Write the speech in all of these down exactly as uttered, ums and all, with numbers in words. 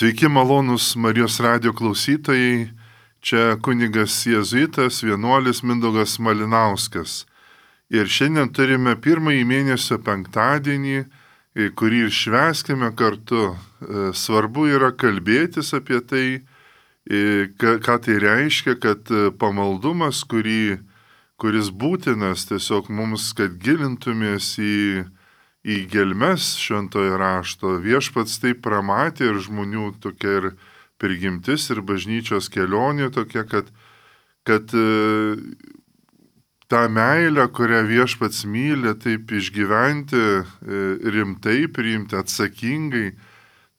Sveiki malonūs Marijos radijo klausytojai, čia kunigas jėzuitas vienuolis Mindaugas Malinauskas. Ir šiandien turime pirmąjį mėnesio penktadienį, kurį ir švęskime kartu. Svarbu yra kalbėtis apie tai, ką tai reiškia, kad pamaldumas, kurį, kuris būtinas tiesiog mums, kad gilintumės į į gelmes šventojo rašto. Viešpats taip pramatė ir žmonių tokia ir prigimtis ir bažnyčios kelionė tokia, kad, kad e, tą meilę, kurią viešpats myli, taip išgyventi e, rimtai, priimti atsakingai,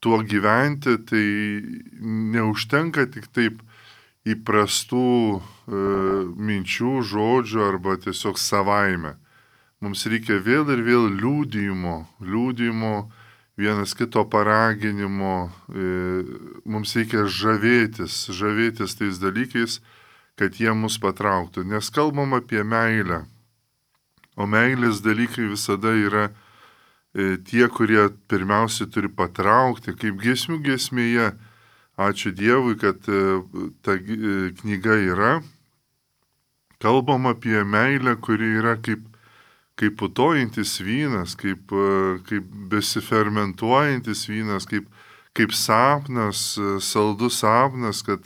tuo gyventi, tai neužtenka tik taip įprastų e, minčių, žodžių arba tiesiog savaime. Mums reikia vėl ir vėl liūdėjimo, liūdėjimo, vienas kito paraginimo, mums reikia žavėtis, žavėtis tais dalykais, kad jie mus patrauktų. Nes kalbam apie meilę, o meilės dalykai visada yra tie, kurie pirmiausiai turi patraukti, kaip giesmių giesmėje. Ačiū Dievui, kad ta knyga yra. Kalbam apie meilę, kuri yra kaip kaip putojantis vynas, kaip, kaip besifermentuojantis vynas, kaip, kaip sapnas, saldus sapnas, kad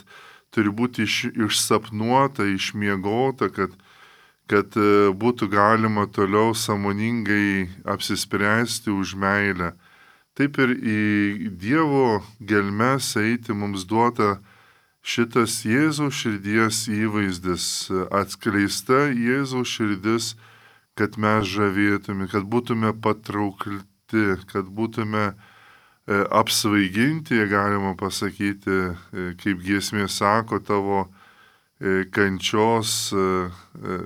turi būti iš, išsapnuota, išmiegota, kad, kad būtų galima toliau sąmoningai apsispręsti už meilę. Taip ir į Dievo gelmes eiti mums duota šitas Jėzaus širdies įvaizdis, atskleista Jėzaus širdis, kad mes žavėtume, kad būtume patraukti, kad būtume e, apsvaiginti, galima pasakyti, e, kaip giesmė sako, tavo e, kančios, e,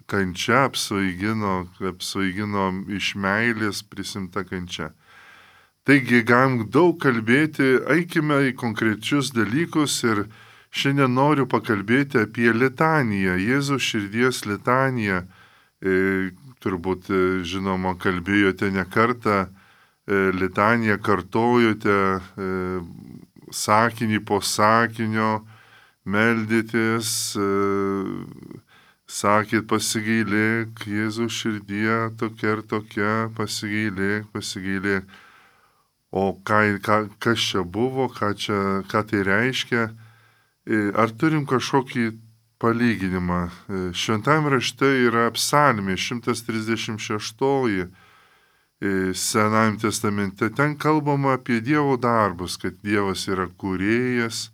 kančia apsvaigino, apsvaigino iš meilės prisimta kančia. Taigi galim daug kalbėti, eikime į konkrečius dalykus ir šiandien noriu pakalbėti apie litaniją, Jėzaus širdies litaniją. E, turbūt, žinoma, kalbėjote ne kartą, e, litaniją kartojote, e, sakinį po sakinio, meldėtės, e, sakėt pasigailėk, Jėzaus širdie tokia ir tokia, pasigailėk, pasigailėk. O ką, ką, kas čia buvo, ką, čia, ką tai reiškia? E, ar turim kažkokį palyginimą? Šventajame rašte yra psalmė šimtas trisdešimt šeštoji Senajame testamente. Ten kalbama apie Dievo darbus, kad Dievas yra kūrėjas,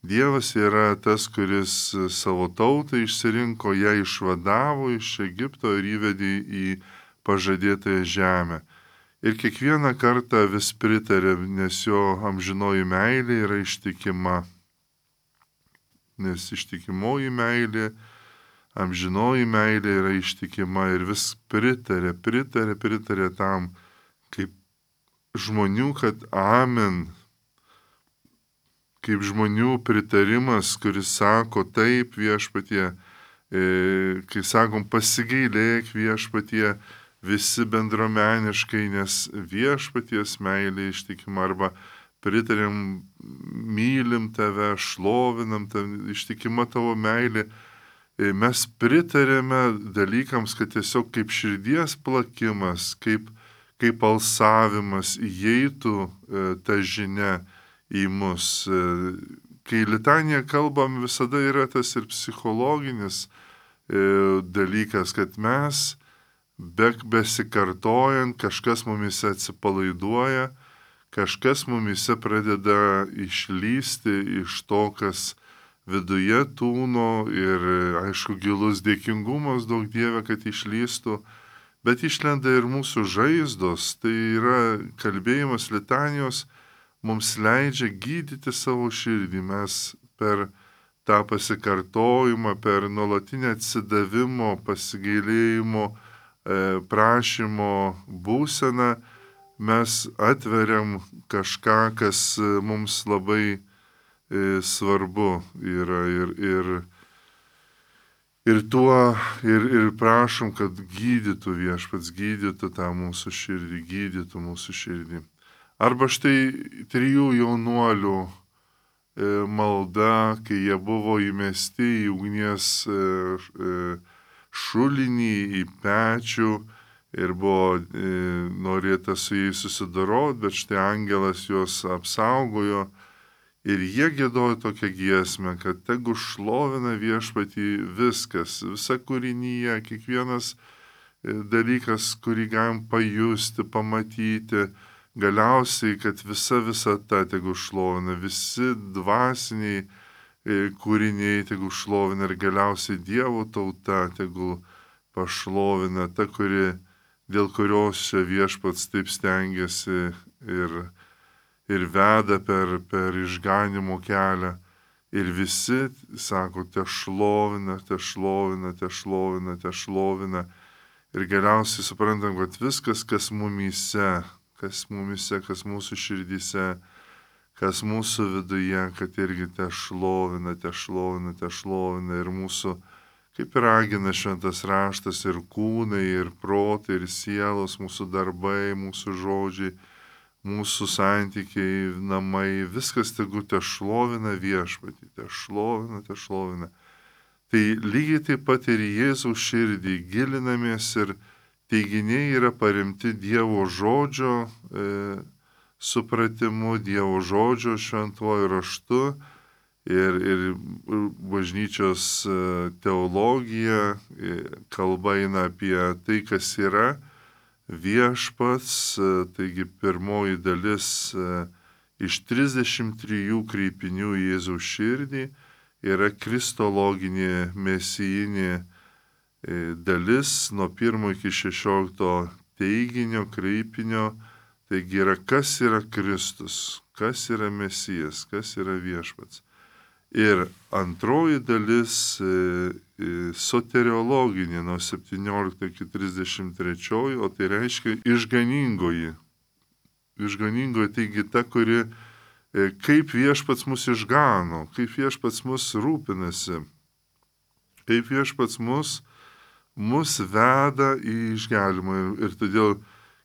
Dievas yra tas, kuris savo tautą išsirinko, ją išvadavo iš Egipto ir įvedė į pažadėtąją žemę. Ir kiekvieną kartą vis pritarė, nes jo amžinoji meilė yra ištikima. Nes ištikimoji meilė, amžinoji meilė yra ištikima ir vis pritarė, pritarė, pritarė tam, kaip žmonių, kad amen, kaip žmonių pritarimas, kuris sako taip viešpatie, e, kai sakom pasigailėk viešpatie, visi bendruomeniškai, nes viešpaties meilė ištikima, arba pritarėm, mylim tave, šlovinam tave, ištikima tavo meilė. Mes pritarėme dalykams, kad tiesiog kaip širdies plakimas, kaip, kaip alsavimas įeitų e, ta žinia į mus. E, kai litanija kalbam, visada yra tas ir psichologinis e, dalykas, kad mes, be, besikartojant, kažkas mumise atsipalaiduoja, kažkas mumise pradeda išlysti iš to, kas viduje tūno ir, aišku, gilus dėkingumas daug Dieve, kad išlystų, bet išlenda ir mūsų žaizdos. Tai yra kalbėjimas litanijos, mums leidžia gydyti savo širdį. Mes per tą pasikartojimą, per nuolatinę atsidavimo, pasigailėjimo, prašymo būseną, mes atveriam kažką, kas mums labai e, svarbu yra ir, ir, ir tuo ir, ir prašom, kad gydytų viešpats, gydytų tą mūsų širdį, gydytų mūsų širdį. Arba štai trijų jaunuolių malda, kai jie buvo įmesti į ugnies šulinį, į pečių ir buvo norėta su jais susidoroti, bet štai angelas juos apsaugojo ir jie giedojo tokią giesmę, kad tegu šlovina viešpatį viskas, visa kūrinyje, kiekvienas dalykas, kurį galim pajusti, pamatyti, galiausiai, kad visa visata tegu šlovina, visi dvasiniai kūriniai tegu šlovina ir galiausiai Dievo tauta tegu pašlovina, ta, kuri, dėl kurios čia viešpats taip stengiasi ir, ir veda per, per išganimo kelią. Ir visi, sako, te šlovina, te šlovina, te šlovina, te šlovina. Ir galiausiai suprantam, kad viskas, kas mumyse, kas mumise, kas mūsų širdyse, kas mūsų viduje, kad irgi te šlovina, te šlovina, te šlovina. Ir mūsų, kaip ir ragina šventas raštas, ir kūnai, ir protai, ir sielos, mūsų darbai, mūsų žodžiai, mūsų santykiai, namai, viskas tegu te šlovina viešpatį, te šlovina, te šlovina. Tai lygiai taip pat ir Jėzaus širdį gilinamės ir teiginiai yra paremti Dievo žodžio e, supratimu, Dievo žodžio šventuoju raštu ir, ir bažnyčios teologija, kalba eina apie tai, kas yra viešpats, taigi pirmoji dalis iš trisdešimt trijų kreipinių į Jėzaus širdį yra kristologinė mesijinė dalis nuo pirmo iki šešiolikto teiginio, kreipinio. Taigi yra, kas yra Kristus, kas yra Mesijas, kas yra viešpats. Ir antroji dalis soteriologinė nuo septyniolikto iki trisdešimt trečiojo, o tai reiškia išganingoji. Išganingoji, taigi ta, kuri kaip viešpats mus išgano, kaip viešpats mus rūpinasi, kaip viešpats mus, mus veda į išgelbėjimą. Ir, ir todėl,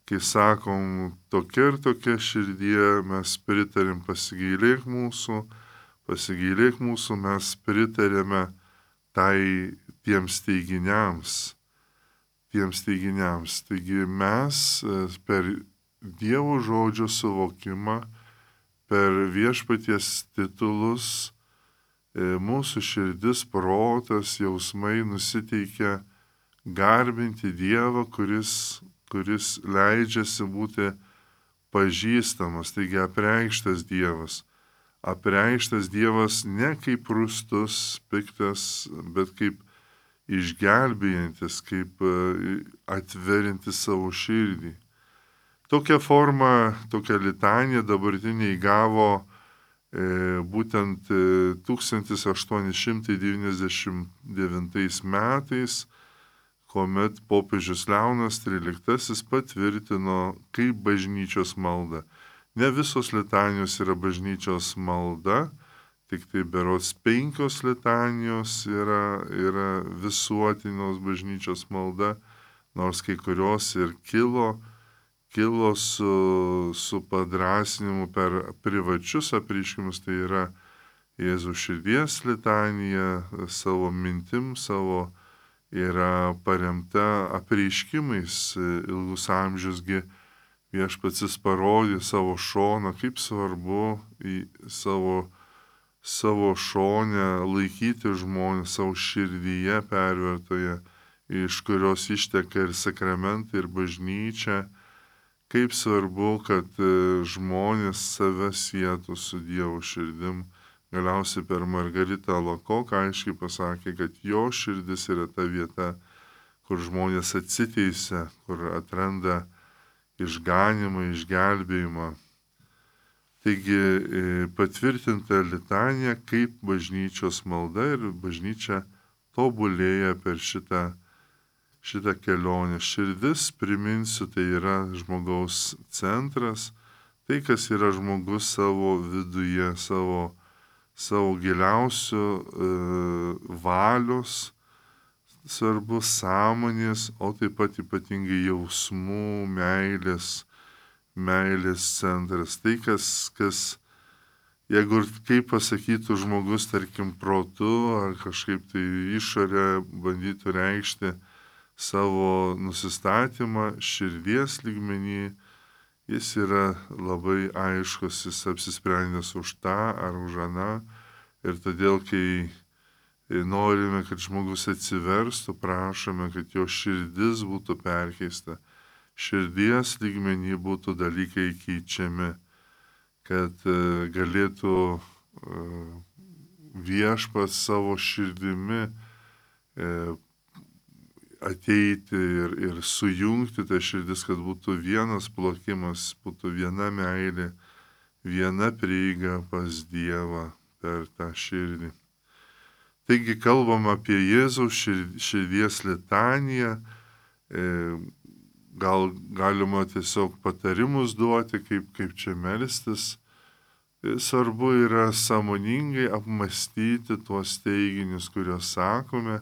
kai sakom, tokia ir tokia širdie, mes pritarim pasigailėk mūsų, pasigailėk mūsų, mes pritarėme tai tiems teiginiams, tiems teiginiams. Taigi mes per Dievo žodžio suvokimą, per viešpaties titulus, mūsų širdis, protas, jausmai nusiteikia garbinti Dievą, kuris, kuris leidžiasi būti pažįstamas, taigi apreikštas Dievas. Apreikštas Dievas ne kaip rūstus, piktas, bet kaip išgelbėjantis, kaip atverintis savo širdį. Tokią formą, tokią litaniją dabartinė įgavo e, būtent e, tūkstantis aštuoni šimtai devyniasdešimt devintais metais, kuomet popiežius Leonas tryliktasis patvirtino kaip bažnyčios malda. Ne visos litanijos yra bažnyčios malda, tik tai berods penkios litanijos yra, yra visuotinos bažnyčios malda, nors kai kurios ir kilo, kilo su, su padrasinimu per privačius apreiškimus, tai yra Jėzaus širdies litanija, savo mintim, savo yra paremta apreiškimais ilgus amžiusgi. Viešpats parodė savo šoną, kaip svarbu į savo, savo šonę laikyti žmonės, savo širdyje pervertoje, iš kurios išteka ir sakramentai, ir bažnyčia. Kaip svarbu, kad žmonės save sietų su Dievo širdim. Galiausiai per Margaritą Alakoką aiškiai pasakė, kad jo širdis yra ta vieta, kur žmonės atsiteisia, kur atranda išganimą, išgelbėjimą. Taigi patvirtinta litanija kaip bažnyčios malda ir bažnyčia tobulėja per šitą, šitą kelionę. Širdis, priminsiu, tai yra žmogaus centras, tai kas yra žmogus savo viduje, savo, savo giliausių e, valios, svarbus sąmonės, o taip pat ypatingai jausmų, meilės, meilės centras. Tai, kas, kas jeigu ir kaip pasakytų žmogus, tarkim, protu ar kažkaip tai išorę bandytų reikšti savo nusistatymą širdies lygmenį, jis yra labai aiškus, jis apsisprendęs už tą ar už aną. Ir todėl, kai norime, kad žmogus atsiverstų, prašome, kad jo širdis būtų perkeista. Širdies lygmenį būtų dalykai keičiami, kad galėtų viešpats savo širdimi ateiti ir, ir sujungti tą širdis, kad būtų vienas plokimas, būtų viena meilė, viena prieiga pas Dievą per tą širdį. Taigi kalbam apie Jėzaus širdies litaniją, gal galima tiesiog patarimus duoti, kaip, kaip čia melstis. Svarbu yra sąmoningai apmastyti tuos teiginius, kuriuos sakome,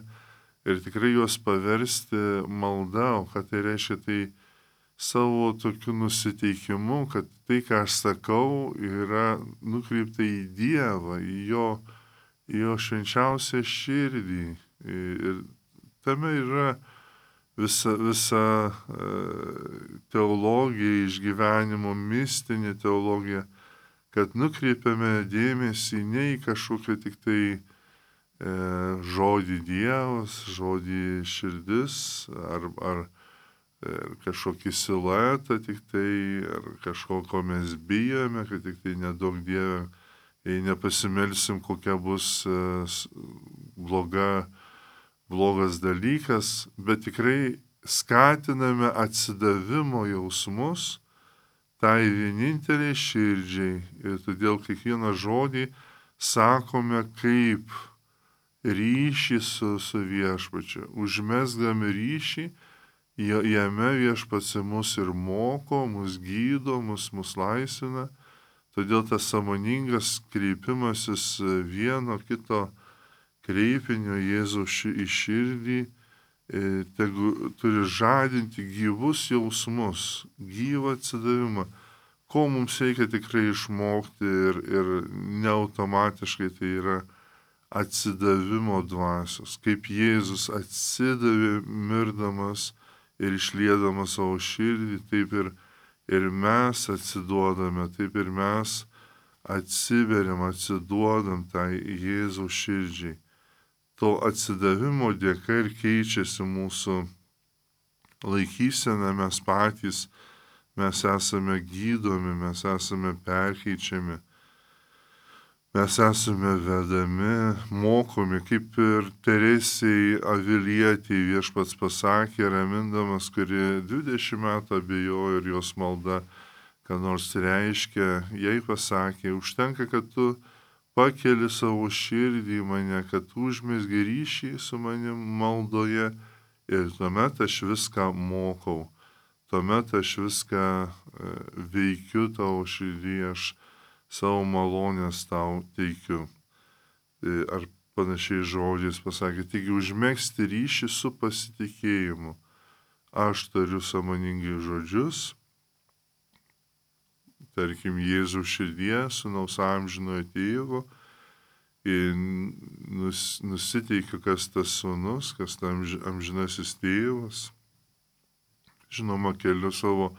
ir tikrai juos paversti malda. O ką tai reiškia? Tai savo tokiu nusiteikimu, kad tai, ką aš sakau, yra nukreipta į Dievą, į jo, į jo švenčiausią širdį. Ir tame yra visa, visa teologija, išgyvenimo mistinė teologija, kad nukreipiame dėmesį ne į kažkokią tik tai e, žodį Dievas, žodį širdis, ar, ar e, kažkokį siluetą tik tai, ar kažko, ko mes bijome, kad tik tai nedaug Dieve, jei nepasimelsim, kokia bus e, bloga, blogas dalykas, bet tikrai skatiname atsidavimo jausmus tai vieninteliai širdžiai. Ir todėl kiekvieną žodį sakome kaip ryšį su, su viešpačiu. Užmesdami ryšį, jame viešpats mus ir moko, mus gydo, mus, mus laisvina. Todėl tas sąmoningas kreipimasis vieno kito kreipinio Jėzaus į širdį tegu turi žadinti gyvus jausmus, gyvą atsidavimą, ko mums reikia tikrai išmokti ir, ir neautomatiškai tai yra atsidavimo dvasios, kaip Jėzus atsidavė mirdamas ir išliedamas savo širdį, taip ir, ir mes atsiduodame, taip ir mes atsiveriam, atsiduodam tai Jėzaus širdžiai. To atsidavimo dėka ir keičiasi mūsų laikysena, mes patys, mes esame gydomi, mes esame perkeičiami, mes esame vedami, mokomi, kaip ir Teresei Avilietei viešpats pasakė, ramindamas, kuri dvidešimt metų abejojo ir jos malda, ką nors reiškia, jai pasakė, užtenka, kad tu pakeli savo širdį į mane, kad užmesgi ryšį su manim maldoje ir tuomet aš viską mokau, tuomet aš viską veikiu tavo širdį, aš savo malonės tau teikiu. Ar panašiai žodžiais pasakė, taigi užmegzti ryšį su pasitikėjimu. Aš tariu sąmoningai žodžius, tarkim, Jėzaus širdie, sūnaus amžinojo tėvo, ir nus, nusiteikiu, kas tas sūnus, kas tas amžinasis tėvas. Žinoma, keliu savo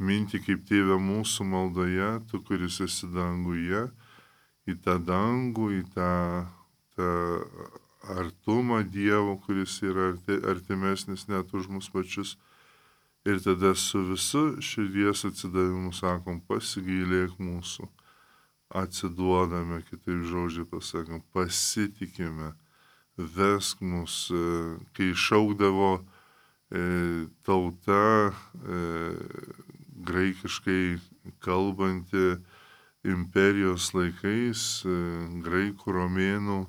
mintį kaip tėvę mūsų maldoje, tu, kuris esi danguje, į tą dangų, į tą, tą artumą Dievo, kuris yra arti, artimesnis net už mus pačius. Ir tada su visu širdies atsidavimu sakom, pasigailėk mūsų, atsiduodame, kitaip žodžiai pasakom, pasitikime, vesk mus, kai šaukdavo e, tauta, e, graikiškai kalbanti imperijos laikais, e, graikų, romėnų,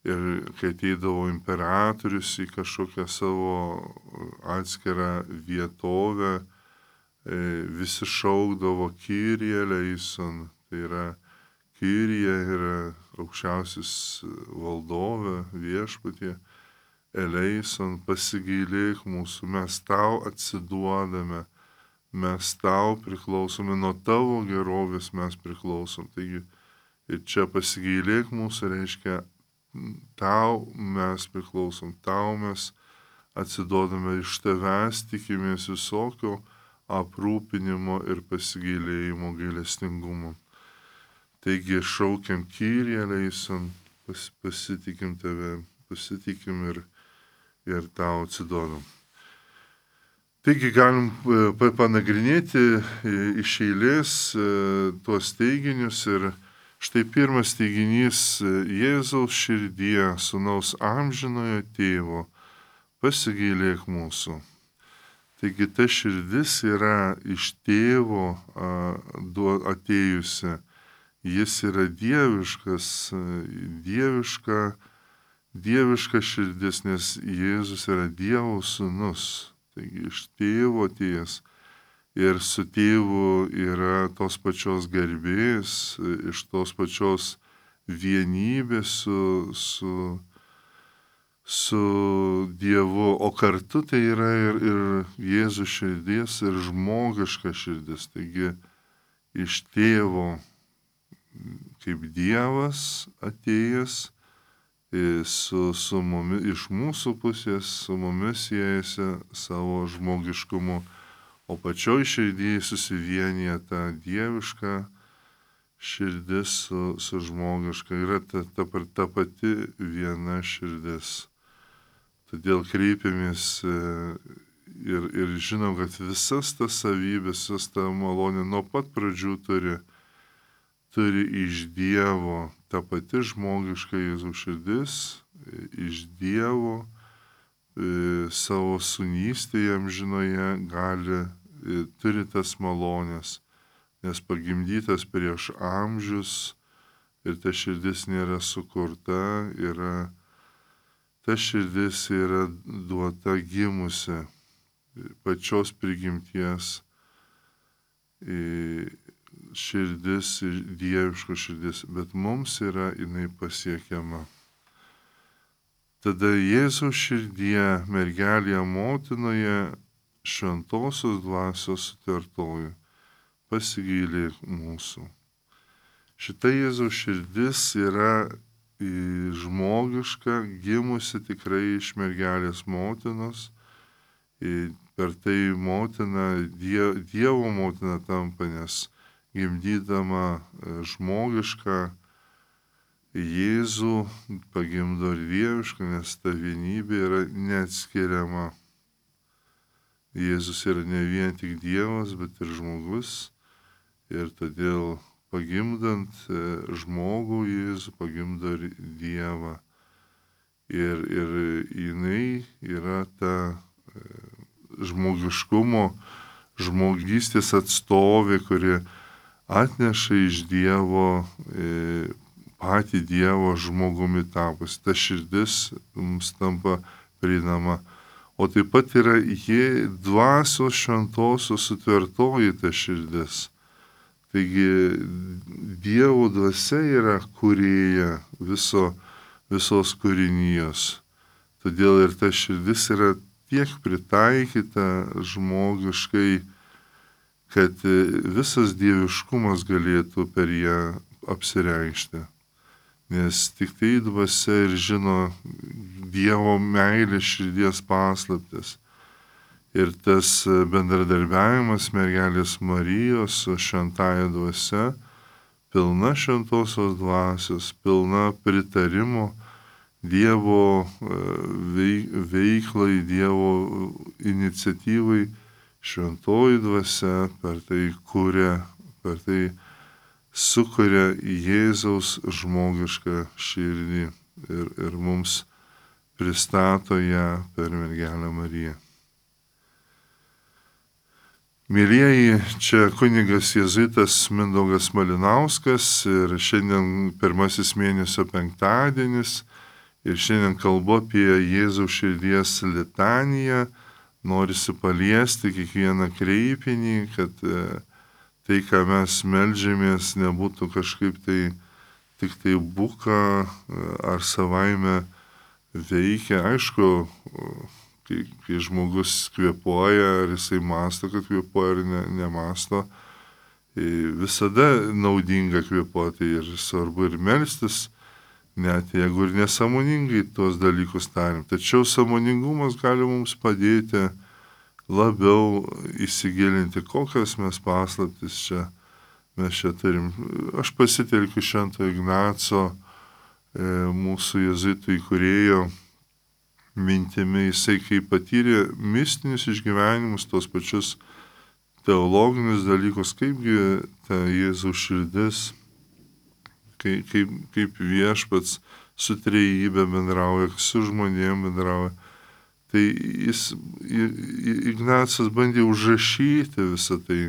ir kai ateidavo imperatorius į kažkokią savo atskirą vietovę, visi šaukdavo Kyrie eleison, tai yra Kyrie yra aukščiausias valdove, viešpatie, eleison, pasigailėk mūsų, mes tau atsiduodame, mes tau priklausome, nuo tavo gerovės mes priklausom. Taigi ir čia pasigailėk mūsų reiškia, tau mes priklausom, tau mes atsiduodame, iš tavęs tikimės visokio aprūpinimo ir pasigailėjimo, gailestingumo. Taigi šaukiam Kyrie eleison, pas, pasitikim tave, pasitikim ir, ir tau atsiduodam. Taigi galim panagrinėti iš eilės tuos teiginius ir štai pirmas teiginys Jėzaus širdie, sūnaus amžinojo tėvo, pasigailėk mūsų. Taigi ta širdis yra iš tėvo atėjusi. Jis yra dieviškas, dieviška, dieviška širdis, nes Jėzus yra Dievo sūnus. Taigi iš tėvo atėjęs ir su tėvu yra tos pačios garbės, iš tos pačios vienybės su, su, su Dievu, o kartu tai yra ir, ir Jėzus širdis, ir žmogiška širdis. Taigi iš tėvo kaip Dievas atėjęs su, su mumis, iš mūsų pusės su mumis siejasi savo žmogiškumu, o pačioj širdyje susivienyje ta dieviška širdis su, su žmogiška. Yra ta, ta, ta pati viena širdis. Todėl kreipiamės ir, ir žinom, kad visas tas savybės, visas ta malonė nuo pat pradžių turi turi iš Dievo, ta pati žmogiška Jėzaus širdis, iš Dievo e, savo sūnystėje amžinoje gali, e, turi tas malonės, nes pagimdytas prieš amžius ir ta širdis nėra sukurta, yra, ta širdis yra duota gimusi pačios prigimties. E, širdis, dieviško širdis, bet mums yra jinai pasiekiama. Tada Jėzaus širdie, mergelėje motinoje, šventosios dvasios sutartoji, pasigailėk mūsų. Šita Jėzaus širdis yra žmogiška, gimusi tikrai iš mergelės motinos, per tai motina, Dievo motina tampa, nes gimdydama žmogišką Jėzų pagimdo ir dievišką, nes ta vienybė yra neatskiriama. Jėzus yra ne vien tik Dievas, bet ir žmogus. Ir todėl pagimdant žmogų Jėzų pagimdo ir Dievą. Ir, ir jinai yra ta žmogiškumo, žmogystės atstovė, kuri atneša iš Dievo e, patį Dievo žmogumi tapus. Ta širdis mums tampa prieinama. O taip pat yra jie dvasios šventosios sutvertoji ta širdis. Taigi Dievo dvasia yra kūrėja viso, visos kūrinijos. Todėl ir ta širdis yra tiek pritaikyta žmogiškai, kad visas dieviškumas galėtų per ją apsireikšti. Nes tik tai dvasia ir žino Dievo meilės širdies paslaptis. Ir tas bendradarbiavimas mergelės Marijos su šventąja dvasia, pilna šventosios dvasios, pilna pritarimo Dievo veiklai, Dievo iniciatyvai, šventoji dvasia per tai kuria, per tai sukuria Jėzaus žmogišką širdį ir, ir mums pristato ją per mergelę Mariją. Mėlieji, čia kunigas jėzuitas Mindaugas Malinauskas ir šiandien pirmasis mėnesio penktadienis ir šiandien kalbu apie Jėzaus širdies litaniją. Norisi paliesti kiekvieną kreipinį, kad tai, ką mes meldžiamės, nebūtų kažkaip tai tik tai buka ar savaime veikia. Aišku, kai, kai žmogus kvėpuoja, ar jisai masto, kad kvėpuoja, ar ne, nemasto. Visada naudinga kvėpuoti ir svarbu ir melstis, net jeigu ir nesąmoningai tuos dalykus tarim. Tačiau sąmoningumas gali mums padėti labiau įsigilinti, kokias mes paslaptis čia mes čia turim. Aš pasitelkiu Švento Ignaco, e, mūsų jėzuitų įkūrėjo mintimi, jisai kai patyrė mistinius išgyvenimus, tos pačius teologinius dalykus, kaipgi ta Jėzaus širdis, kaip, kaip, kaip viešpats su trejybe bendrauja, su žmonėm bendrauja. Tai jis, Ignacas bandė užrašyti visą tai,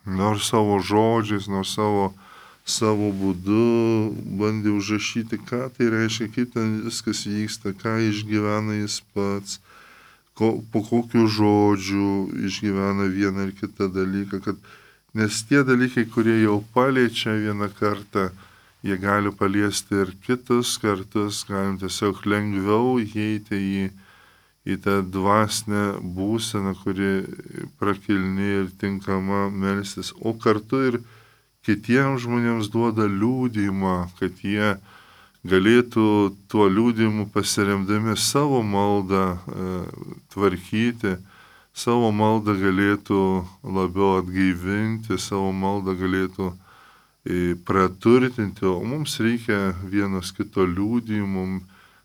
nors savo žodžiais, nors savo, savo būdu bandė užrašyti, ką tai reiškia, kaip ten viskas vyksta, ką išgyvena jis pats, ko, po kokių žodžių išgyvena vieną ar kitą dalyką, kad, nes tie dalykai, kurie jau paliečia vieną kartą, jie gali paliesti ir kitus kartus, galim tiesiog lengviau įeiti į į tą dvasinę būseną, kuri prakilni ir tinkama melstis, o kartu ir kitiems žmonėms duoda liūdimą, kad jie galėtų tuo liūdimu pasiremdami savo maldą e, tvarkyti, savo maldą galėtų labiau atgaivinti, savo maldą galėtų e, praturtinti, o mums reikia vienas kito liūdimų.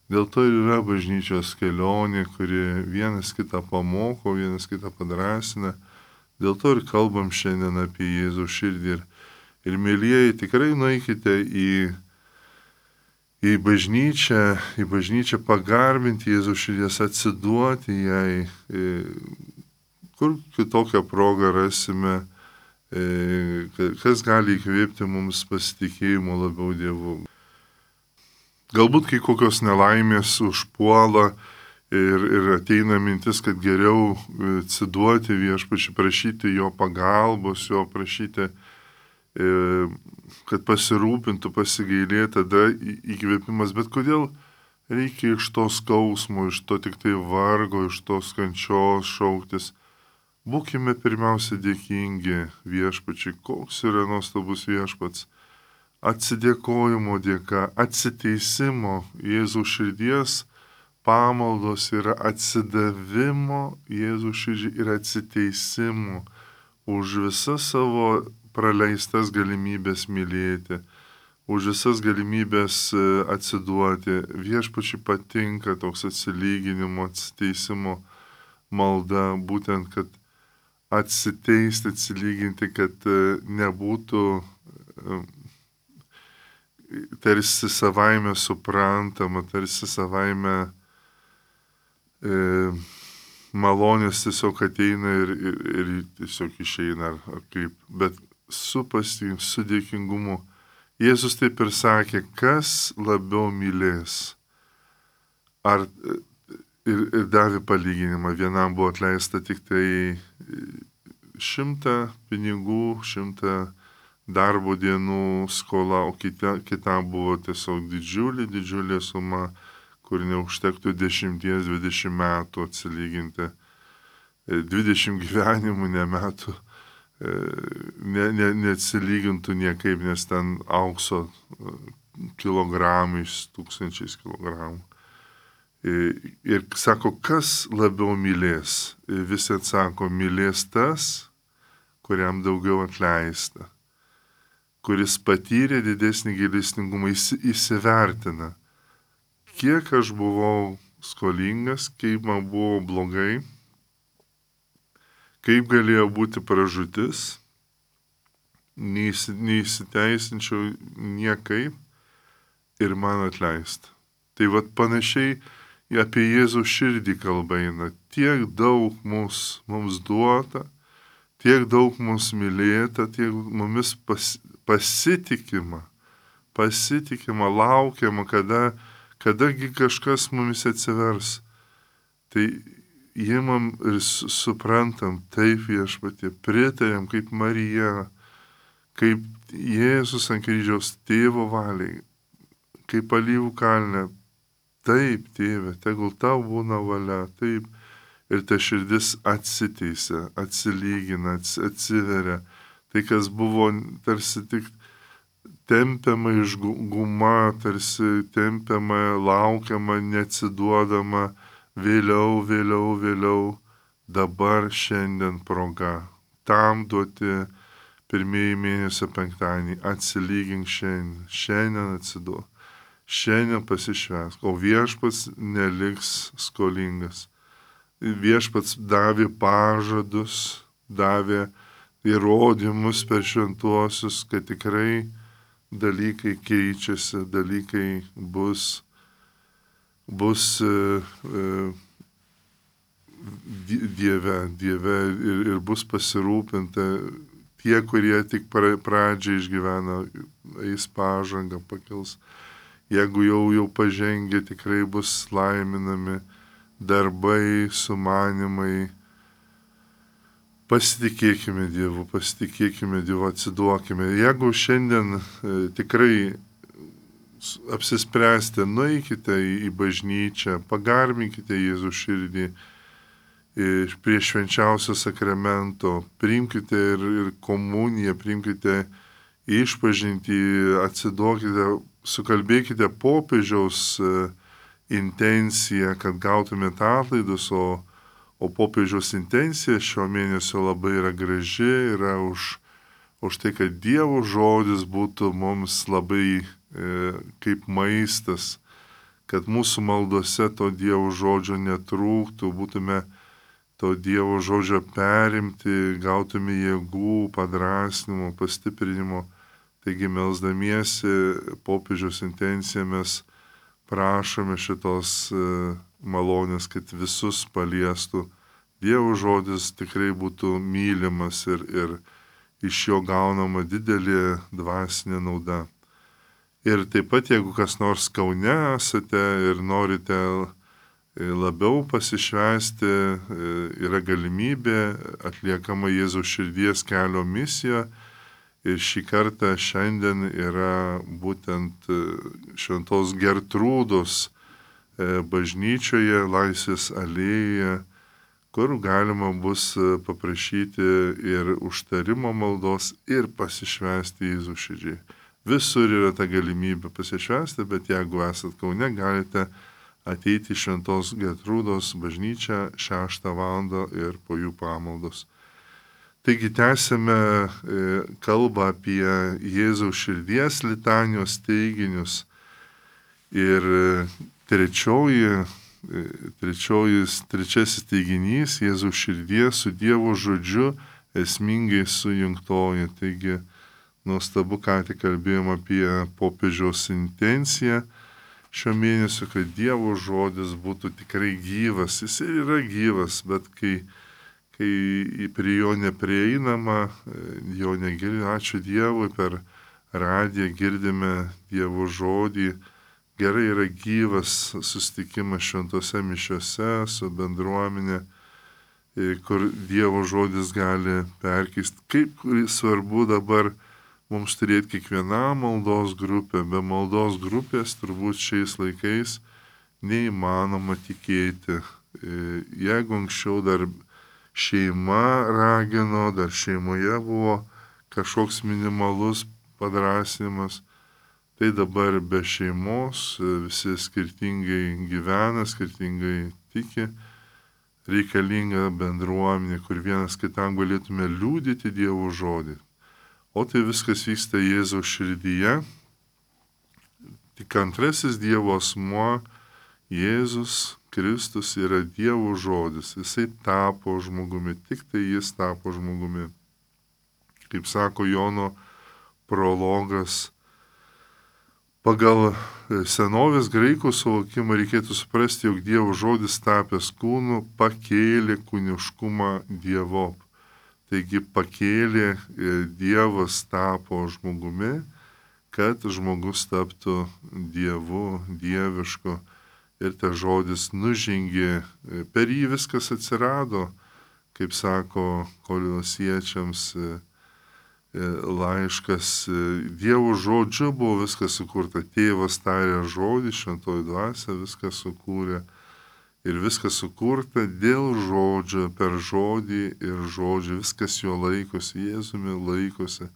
Dėl to ir yra bažnyčios kelionė, kuri vienas kitą pamoko, vienas kitą padrasina. Dėl to ir kalbam šiandien apie Jėzaus širdį. Ir, ir mėlyjeji, tikrai nueikite į, į bažnyčią, į bažnyčią pagarbinti Jėzaus širdies, atsiduoti jai. Kur kitokią progą rasime, kas gali įkvėpti mums pasitikėjimo labiau Dievu. Galbūt kai kokios nelaimės užpuola ir, ir ateina mintis, kad geriau atsiduoti viešpačiui, prašyti jo pagalbos, jo prašyti, kad pasirūpintų, pasigailėtų, tada įkvėpimas. Bet kodėl reikia iš to skausmo, iš to tik tai vargo, iš tos kančios šauktis? Būkime pirmiausia dėkingi viešpačiui, koks yra nuostabus viešpats. Atsidėkojimo dėka, atsiteisimo Jėzaus širdies pamaldos yra atsidavimo Jėzaus širdžiai ir atsiteisimo už visas savo praleistas galimybės mylėti, už visas galimybės atsiduoti. Viešpačiui patinka toks atsilyginimo, atsiteisimo malda, būtent, kad atsiteisti, atsilyginti, kad nebūtų tarsi savaime suprantama, tarsi savaime e, malonės tiesiog ateina ir, ir, ir tiesiog išeina, ar, ar kaip, bet su pasitikėjimu, su dėkingumu. Jėzus taip ir sakė, kas labiau mylės. Ar, ir, ir davė palyginimą, vienam buvo atleista tik tai šimtą pinigų, šimtą darbo dienų skola, o kita, kita buvo tiesiog didžiulė, didžiulė suma, kur neužtektų dešimties, dvidešimt metų atsilyginti. dvidešimt gyvenimų, ne metų, ne, ne, neatsilygintų niekaip, nes ten aukso kilogramais, tūkstančiais kilogramų. Ir sako, kas labiau mylės? Visi atsako, mylės tas, kuriam daugiau atleista, kuris patyrė didesnį gailestingumą, įsivertina, kiek aš buvau skolingas, kaip man buvo blogai, kaip galėjo būti pražūtis, neįsiteisinčiau niekaip ir man atleista. Tai vat panašiai apie Jėzaus širdį kalba eina. Tiek daug mums, mums duota, tiek daug mums mylėta, tiek mumis pas, pasitikima, pasitikima, laukiama, kada, kadagi kažkas mumis atsivers. Tai įimam ir suprantam, taip viešpatie, pritarėm kaip Marija, kaip Jėzus ant kryžiaus tėvo valiai, kaip alyvų kalne, taip, tėve, tegul tau būna valia, taip. Ir ta širdis atsiteisia, atsilygina, atsiveria. Tai, kas buvo tarsi tik tempiama iš guma, tarsi tempiama, laukiama, neatsiduodama, vėliau, vėliau, vėliau, dabar šiandien proga. Tam duoti pirmieji mėnesio penktadienį, atsilygink šiandien, šiandien atsiduok, šiandien pasišvęsk, o viešpats neliks skolingas. Viešpats davė pažadus, davė įrodymus per šventuosius, kad tikrai dalykai keičiasi, dalykai bus, bus e, e, Dieve, Dieve ir, ir bus pasirūpinta. Tie, kurie tik pradžiai išgyvena, eis pažangą, pakils. Jeigu jau jau pažengė, tikrai bus laiminami darbai, sumanimai. Pasitikėkime Dievu, pasitikėkime Dievu, atsiduokime. Jeigu šiandien e, tikrai apsispręsite, nueikite į, į bažnyčią, pagarbinkite Jėzų širdį prie švenčiausio sakramento, priimkite ir, ir komuniją, priimkite išpažintį, atsiduokite, sukalbėkite popiežiaus e, intenciją, kad gautumėte atlaidus, o O popiežiaus intencija šio mėnesio labai yra graži, yra už, už tai, kad Dievo žodis būtų mums labai e, kaip maistas, kad mūsų maldose to Dievo žodžio netrūktų, būtume to Dievo žodžio perimti, gautume jėgų, padrasnimo, pastiprinimo. Taigi melsdamiesi popiežiaus intenciją mes prašome šitos e, malonės, kad visus paliestų. Dievo žodis tikrai būtų mylimas ir, ir iš jo gaunama didelė dvasinė nauda. Ir taip pat, jeigu kas nors Kaune esate ir norite labiau pasišvęsti, yra galimybė, atliekama Jėzaus širdies kelio misija. Ir šį kartą šiandien yra būtent šventos Gertrūdos bažnyčioje, Laisvės alėjoje, kur galima bus paprašyti ir užtarimo maldos ir pasišvęsti Jėzų širdžiai. Visur yra ta galimybė pasišvęsti, bet jeigu esat Kaune, galite ateiti į šventos Gertrūdos bažnyčią šeštą valandą ir po jų pamaldos. Taigi tęsime kalbą apie Jėzaus širdies litanijos teiginius. Ir trečioji, trečioji, trečiasis teiginys Jėzaus širdies su Dievo žodžiu esmingai sujungtoji. Taigi nuostabu, ką tik kalbėjom apie popiežiaus intenciją šio mėnesio, kad Dievo žodis būtų tikrai gyvas. Jis ir yra gyvas, bet kai kai prie jo neprieinama, jo negirdi, ačiū Dievui, per radiją girdime Dievo žodį. Gerai yra gyvas susitikimas šventose mišiose su bendruomenė, kur Dievo žodis gali perkeisti. Kaip svarbu dabar mums turėti kiekvieną maldos grupę. Be maldos grupės turbūt šiais laikais neįmanoma tikėti. Jeigu anksčiau dar šeima ragino, dar šeimoje buvo kažkoks minimalus padrasinimas, tai dabar be šeimos visi skirtingai gyvena, skirtingai tiki, reikalinga bendruomenė, kur vienas kitam galėtume liudyti Dievo žodį. O tai viskas vyksta Jėzaus širdyje. Tik antrasis Dievo asmuo, Jėzus Kristus, yra Dievo žodis. Jisai tapo žmogumi, tik tai jis tapo žmogumi. Kaip sako Jono prologas, pagal senovės graikų suvokimą reikėtų suprasti, jog Dievo žodis tapęs kūnu pakėlė kūniškumą Dievop. Taigi pakėlė, Dievas tapo žmogumi, kad žmogus taptų Dievu, dievišku. Ir tas žodis nužengė, per jį viskas atsirado, kaip sako kolosiečiams, laiškas. Dievo žodžiu buvo viskas sukurta. Tėvas tarė žodį, šventoji dvasia viską sukūrė. Ir viskas sukurta dėl žodžio, per žodį ir žodžio. Viskas jo laikosi, Jėzumi laikosi.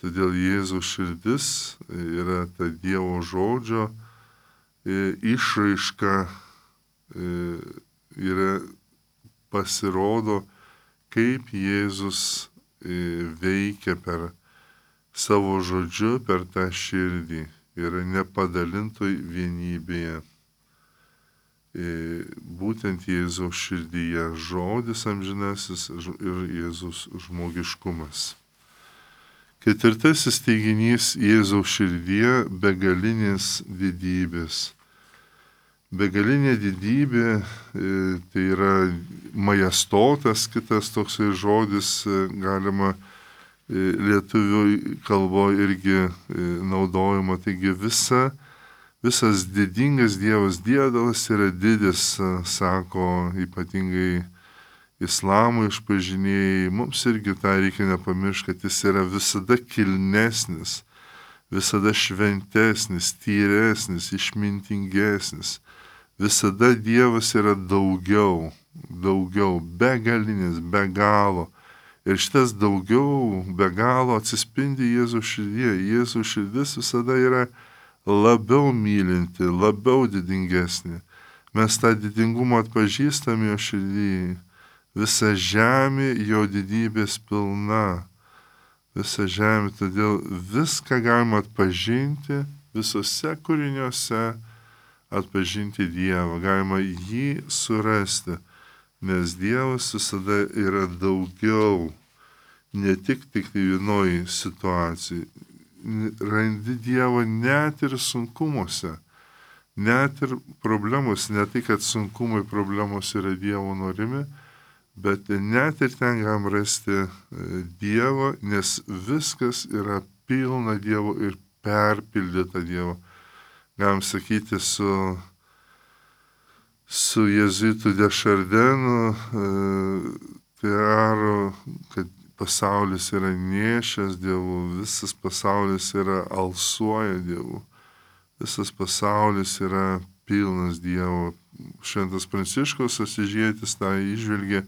Todėl Jėzaus širdis yra ta Dievo žodžio išraiška, yra pasirodo, kaip Jėzus veikia per savo žodžiu, per tą širdį. Yra nepadalintoj vienybėje. Būtent Jėzaus širdyje žodis amžinasis ir Jėzaus žmogiškumas. Ketvirtasis teiginys Jėzaus širdyje - begalinės didybės. Begalinė didybė tai yra majestotas, kitas toksai žodis galima lietuvių kalboje irgi naudojama. Taigi visa, visas didingas Dievas, Dievas yra didis, sako ypatingai islamo išpažinėjai. Mums irgi tą reikia nepamiršti, kad jis yra visada kilnesnis, visada šventesnis, tyresnis, išmintingesnis. Visada Dievas yra daugiau, daugiau, begalinis, be galo. Ir šitas daugiau, be galo atsispindi Jėzaus širdyje. Jėzaus širdis visada yra labiau mylinti, labiau didingesnė. Mes tą didingumą atpažįstame jo širdyje. Visa žemė jo didybės pilna. Visa žemė, todėl viską galima atpažinti, visose kūriniuose atpažinti Dievą. Galima jį surasti, nes Dievas visada yra daugiau, ne tik tik vienoj situacijai. Randi Dievą net ir sunkumuose, net ir problemos, ne tai, kad sunkumai problemos yra Dievo norimi, bet net ir ten galim rasti Dievą, nes viskas yra pilna Dievo ir perpildyta Dievo. Galim sakyti su, su Jėzuitu de Šardenu, Tearo, kad pasaulis yra nešęs Dievu, visas pasaulis yra alsuoja Dievu, visas pasaulis yra pilnas Dievo. Šventas Pranciškus Asyžietis tą įžvelgė,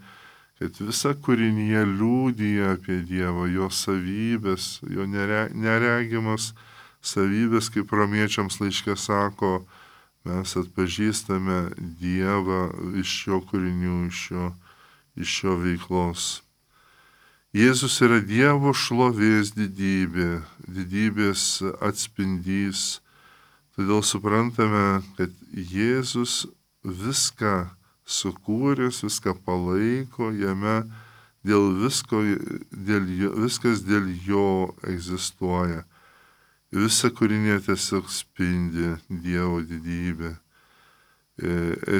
kad visa kūrinyje liūdija apie Dievą, jo savybės, jo nere, neregimas savybės, kaip romiečiams laiške sako, mes atpažįstame Dievą iš jo kūrinių, iš jo, iš jo veiklos. Jėzus yra Dievo šlovės didybė, didybės atspindys. Todėl suprantame, kad Jėzus viską sukūręs, viską palaiko, jame dėl visko, dėl jo, viskas dėl jo egzistuoja. Visa kūrinė tiesiog spindi Dievo didybę.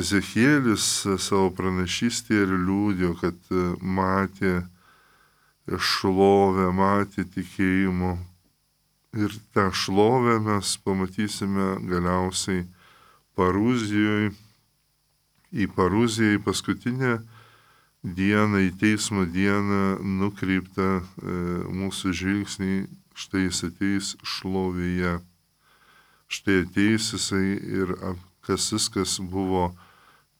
Ezekielis savo pranašystėje ir liūdėjo, kad matė šlovę, matė tikėjimo. Ir tą šlovę mes pamatysime galiausiai Paruzijoje, į Paruziją, į paskutinę dieną, į teismo dieną nukreiptą e, mūsų žvilgsnį, štai jis ateis šlovėje. Štai ateis jisai ir kas viskas buvo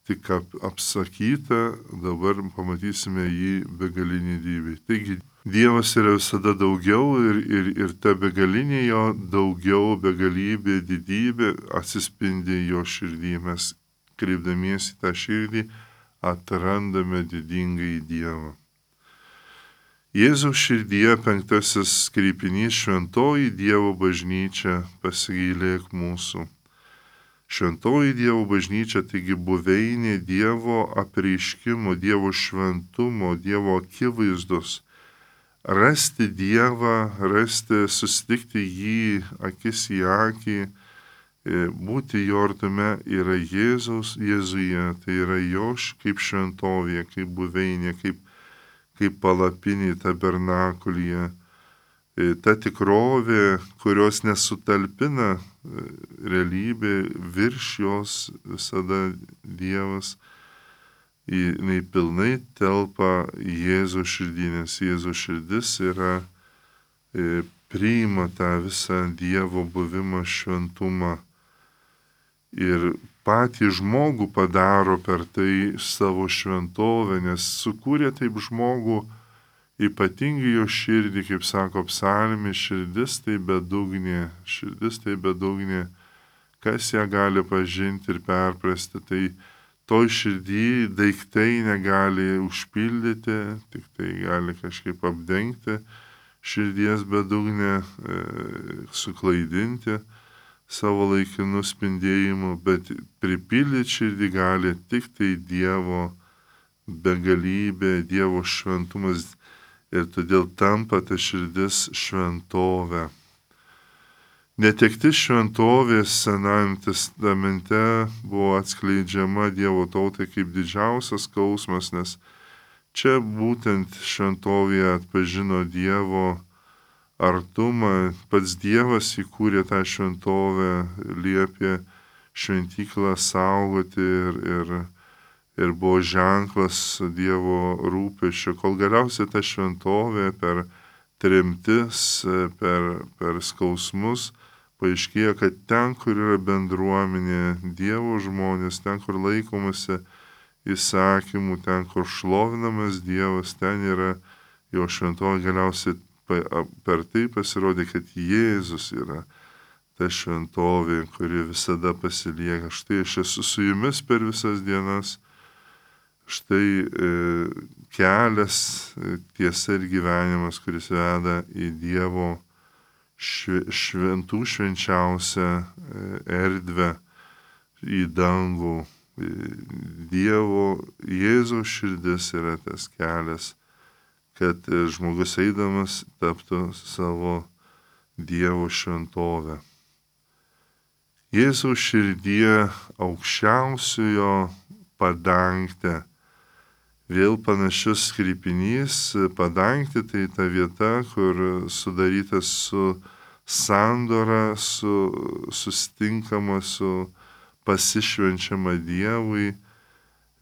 tik ap, apsakyta, dabar pamatysime jį begalinį didybę. Taigi Dievas yra visada daugiau ir, ir, ir ta begalinė jo daugiau, begalybė, didybė atsispindi jo širdį. Mes kreipdamiesi tą širdį atrandame didingąjį Dievą. Jėzaus širdyje penktasis kreipinys šventoji Dievo bažnyčia, pasigailėk mūsų. Šventoji Dievo bažnyčia, taigi buveinė Dievo apreiškimo, Dievo šventumo, Dievo akivaizdos. Rasti Dievą, rasti, susitikti jį akis į akį, būti jo artume yra Jėzaus Jėzuje, tai yra jo kaip šventovė, kaip buveinė, kaip, kaip palapinė tabernakulyje. Ta tikrovė, kurios nesutalpina realybė, virš jos visada Dievas, jinai pilnai telpa Jėzaus širdį, nes Jėzaus širdis yra priima tą visą Dievo buvimą šventumą ir patį žmogų padaro per tai savo šventovę, nes sukūrė taip žmogų ypatingai jo širdį, kaip sako psalmė, širdis tai bedugnė, širdis tai bedugnė, kas ją gali pažinti ir perprasti, tai toj širdį daiktai negali užpildyti, tik tai gali kažkaip apdengti širdies bedugnę, e, suklaidinti savo laikinų spindėjimų, bet pripildyti širdį gali tik tai Dievo begalybė, Dievo šventumas ir todėl tampa ta širdis šventovė. Netektis šventovės Senajame testamente buvo atskleidžiama Dievo tautai kaip didžiausias skausmas, nes čia būtent šventovėje atpažino Dievo artumą, pats Dievas įkūrė tą šventovę, liepė šventyklą saugoti ir, ir, ir buvo ženklas Dievo rūpesčio, kol galiausiai ta šventovė per tremtis, per, per skausmus paaiškėjo, kad ten, kur yra bendruomenė, Dievo žmonės, ten, kur laikomasi įsakymų, ten, kur šlovinamas Dievas, ten yra jo šventovė. Galiausiai per tai pasirodė, kad Jėzus yra ta šventovė, kuri visada pasilieka. Štai aš esu su jumis per visas dienas. Štai e, kelias, tiesa ir gyvenimas, kuris veda į Dievo šventų švenčiausią erdvę, į dangų. Dievo Jėzaus širdis yra tas kelias, kad žmogus eidamas taptų savo Dievo šventovę. Jėzaus širdie aukščiausiojo padangtė. Vėl panašus kreipinys, padangtė tai ta vieta, kur sudarytas su sandora, su susitinkama, su pasišvenčiama Dievui.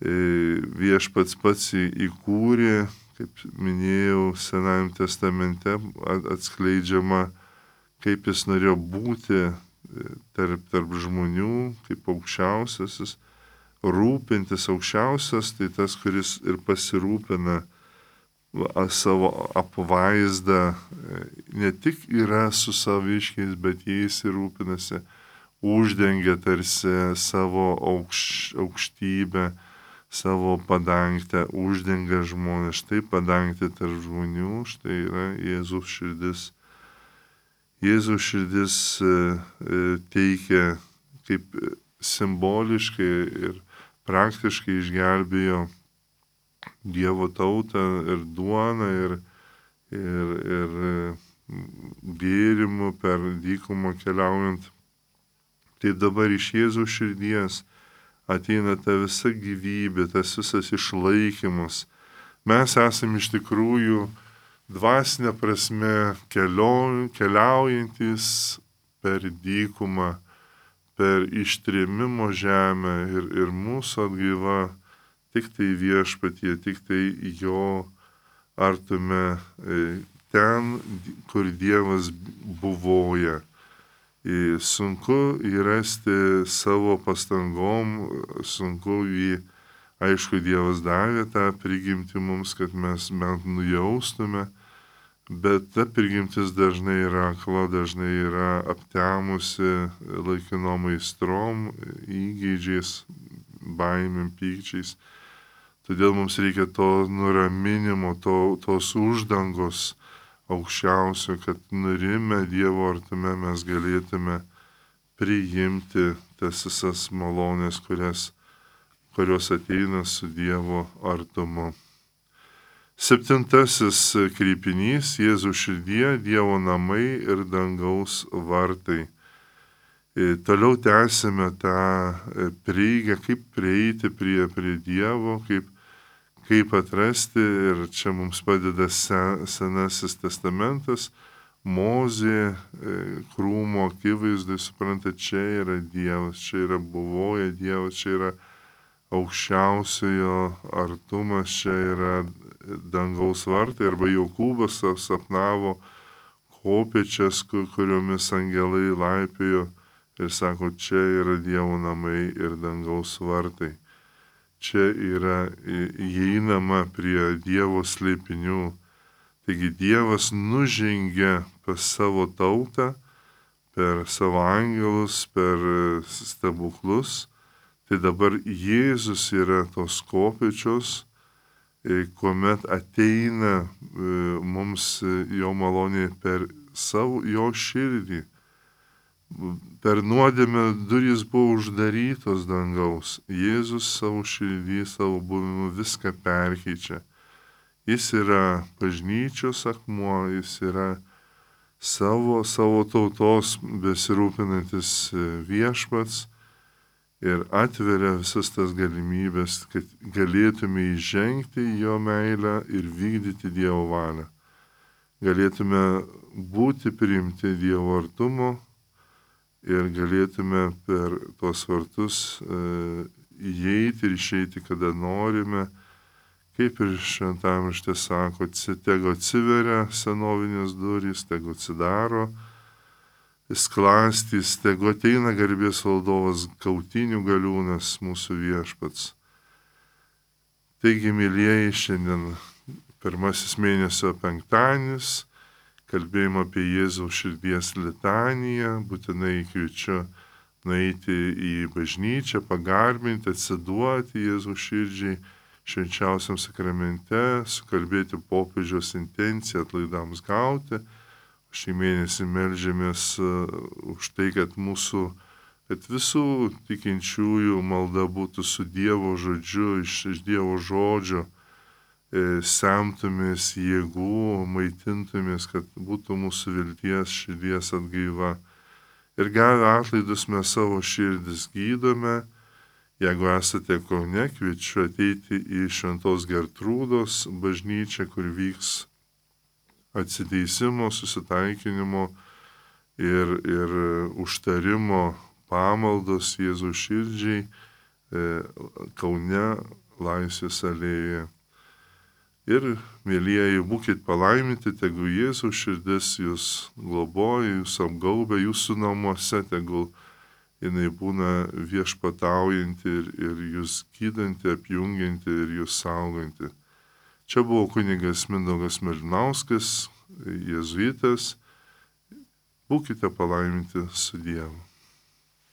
Viešpats pats įkūrė, kaip minėjau, Senajame testamente atskleidžiama, kaip jis norėjo būti tarp, tarp žmonių, kaip aukščiausiasis. Rūpintis aukščiausias, tai tas, kuris ir pasirūpina savo apvaizdą, ne tik yra su saviškiais, bet jais ir rūpinasi, uždengia tarsi savo aukš, aukštybę, savo padangtę, uždengia žmonės. Štai padangtė tarp žmonių, štai yra Jėzaus širdis. Jėzaus širdis teikia kaip simboliškai ir praktiškai išgelbėjo Dievo tautą ir duoną, ir, ir, ir gėrimų per dykumą keliaujant. Tai dabar iš Jėzaus širdies ateina ta visa gyvybė, tas visas išlaikymas. Mes esame iš tikrųjų dvasinė prasme kelio, keliaujantis per dykumą, per ištrėmimo žemę ir, ir mūsų atgaiva tik tai viešpatie, tik tai jo artume, ten, kur Dievas buvoja. Sunku įrasti savo pastangom, sunku jį, aišku, Dievas davė tą prigimtį mums, kad mes bent nujaustume, bet ta prigimtis dažnai yra akla, dažnai yra aptemusi laikinom aistrom, įgeidžiais, baimėm, pykčiais. Todėl mums reikia to nuraminimo, to, tos uždangos aukščiausio, kad nurimę Dievo artume mes galėtume priimti tas visas malonės, kurias, kurios ateina su Dievo artumu. Septintasis kreipinys - Jėzaus širdie, Dievo namai ir dangaus vartai. Toliau tęsime tą prieigą, kaip prieiti prie, prie Dievo, kaip, kaip atrasti, ir čia mums padeda sen, Senasis testamentas, Mozė krūmo akivaizdai, supranta, čia yra Dievas, čia yra buvoja Dievas, čia yra aukščiausiojo artumas, čia yra dangaus vartai, arba Jokūbas sapnavo, kopėčias, kuriomis angelai laipiojo ir sako, čia yra Dievo namai ir dangaus vartai. Čia yra įeinama prie Dievo slėpinių. Taigi Dievas nužengia pas savo tautą per savo angelus, per stebuklus. Tai dabar Jėzus yra tos kopėčios, kuomet ateina mums jo malonė per savo jo širdį. Per nuodėmę durys buvo uždarytos dangaus. Jėzus savo širdį, savo buvimu viską perkeičia. Jis yra bažnyčios akmuo, jis yra savo, savo tautos besirūpinantis viešpats ir atveria visas tas galimybės, kad galėtume įžengti į jo meilę ir vykdyti Dievo valią. Galėtume būti priimti Dievo artumo ir galėtume per tuos vartus e, įeiti ir išeiti, kada norime, kaip ir šventam rašte sako, tegu atsiveria senovinės durys, tegu atsidaro sklastys, tegu ateina garbės valdovas, kautinių galiūnas, mūsų viešpats. Taigi, mylieji, šiandien pirmasis mėnesio penktadienis, kalbėjimo apie Jėzaus širdies litaniją, būtinai kviečiu nueiti į bažnyčią, pagarbinti, atsiduoti Jėzaus širdžiai švenčiausiam sakramente, sukalbėti popiežiaus intenciją atlaidams gauti. Šį mėnesį melžiamės už tai, kad mūsų, kad visų tikinčiųjų malda būtų su Dievo žodžiu, iš, iš Dievo žodžio, e, semtumės jėgų, maitintumės, kad būtų mūsų vilties širdies atgaiva. Ir gavę atlaidus mes savo širdis gydome. Jeigu esate Kaune, kviečiu ateiti į Šventos Gertrūdos bažnyčią, kur vyks atsiteisimo, susitaikinimo ir, ir užtarimo pamaldos Jėzaus širdžiai e, Kaune Laisvės alėjoje. Ir, mėlyjeji, būkit palaiminti, tegu Jėzaus širdis jūs globoja, jūs apgaubia, jūsų namuose, tegul jinai būna viešpataujanti ir, ir jūs gydanti, apjungianti ir jūs sauganti. Čia buvo kunigas Mindaugas Malinauskas, jėzuitas. Būkite palaiminti su Dievu.